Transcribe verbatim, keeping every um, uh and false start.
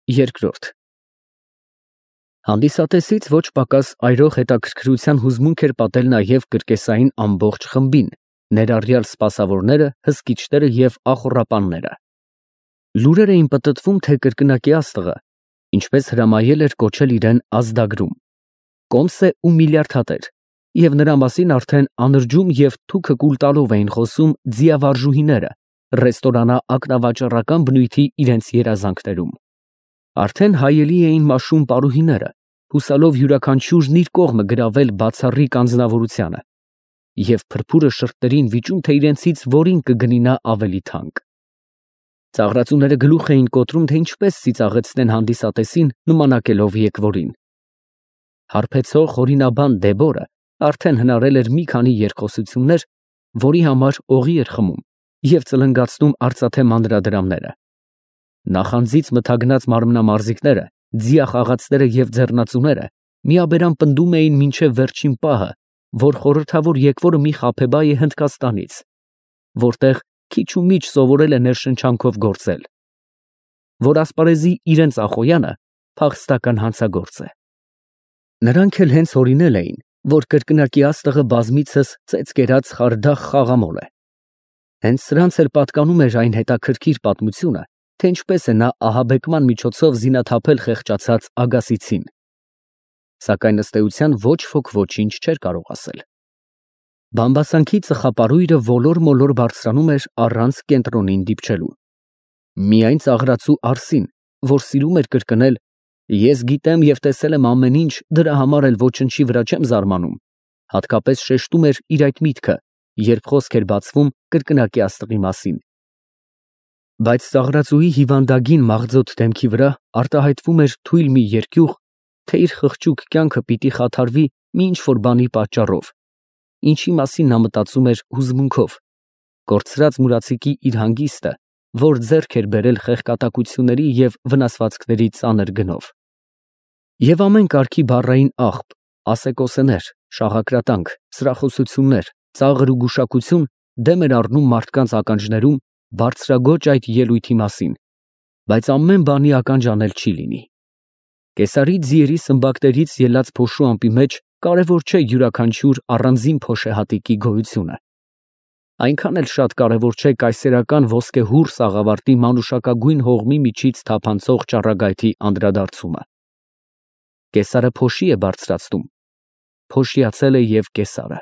Երկրորդ Հանդիսատեսից ոչ պակաս այրող հետաքրքրության հուզմունք էր պատել նաև կրկեսային ամբողջ խմբին, ներառյալ սպասավորները, հսկիչները և ախոռապանները։ Լուրեր էին պտտվում, թե կրկնակի աստղը, ինչպես հրամայել էր կոչել իրեն ազդագրում, կոմս է ու միլիարդատեր, և նրա մասին արդեն անրջում և թուքը կուլ տալով էին խոսում ձիավարժուհիները, ռեստորանա ակնավաճառական բնույթի իրենց երազանքներում։ Արդեն հայելի էին մաշում պարուհիները, հուսալով յուրաքանչյուրն իր կողմը գրավել բացառիկ անձնավորությանը, և փրփուրը շրտերին վիճում, թե իրենցից որին կգնի նա ավելի թանկ։ Ծաղրածուները գլուխ էին կոտրում, թե ինչպես ծիծաղեցնեն հանդիսատեսին, նմանակելով եկվորին։ Հարբեցող հորինաբան Դեբորը արդեն հնարել էր մի քանի երկխոսություններ, որի համար օղի էր խմում և ծլնգացնում արծաթե մանրադրամները։ Նախանձից մթագնած մարմնամարզիկները, ձիախաղացները և ձեռնածուները միաբերան պնդում էին մինչև վերջին պահը, որ խորհրդավոր եկվորը մի խաբեբայ է Հնդկաստանից, որտեղ քիչ ու միչ սովորել է ներշնչանքով գործել, որ ասպարեզի իրենց Ախոյանը փախստական հանցագործ է։ Նրանք էլ հենց հորինել էին, որ կրկնակի աստղը բազմիցս ծեծ կերած խարդախ խաղամոլ է։ Հենց սրանց էլ պատկանում էր այն հետաքրքիր պատմությունը, թե ինչպես է նա ահաբեկման միջոցով զինաթափել խեղճացած Ագասիցին։ Սակայն ըստ էության ոչ ոք ոչինչ չէր կարող ասել։ Բամբասանքի ծխապարույրը ոլոր֊մոլոր բարձրանում էր առանց կենտրոնին դիպչելու։ Միայն ծաղրածու Արսին, որ սիրում էր կրկնել «Ես գիտեմ և տեսել եմ ամեն ինչ, դրա համար էլ ոչնչի վրա չեմ զարմանում», հատկապես շեշտում էր իր այդ միտքը, երբ խոսք էր բացվում կրկնակի աստղի մասին։ Բայց ծաղրածուի հիվանդագին մաղձոտ դեմքի վրա արտահայտվում էր թույլ մի երկյուղ, թե իր խղճուկ կյանքը պիտի խաթարվի մի ինչ֊որ բանի պատճառով, ինչի մասին նա մտածում էր հուզմունքով, կորցրած մուրացիկի իր հանգիստը, որ ձեռք էր բերել խեղկատակությունների և վնասվածքների ծանր գնով։ Եվ ամեն կարգի բառային աղբ, ասեկոսեներ, շաղակրատանք, սրախոսություններ, ծաղր ու գուշակություն դեմ էր առնում մարդկանց ականջներում բարձրաձոչ այդ ելույթի մասին, բայց ամեն բանի ականջ անել չի լինի։ Կեսարի ձիերի սմբակներից ելած փոշու ամպի մեջ կարևոր չէ յուրաքանչյուր առանձին փոշեհատիկի գոյությունը։ Այնքան էլ շատ կարևոր չէ կայսերական ոսկեհուռ սաղավարտի մանուշակագույն հողմի միջից թափանցող ճառագայթի անդրադարձումը։ Կեսարը փոշի է բարձրացնում, փոշիացել է և կեսարը։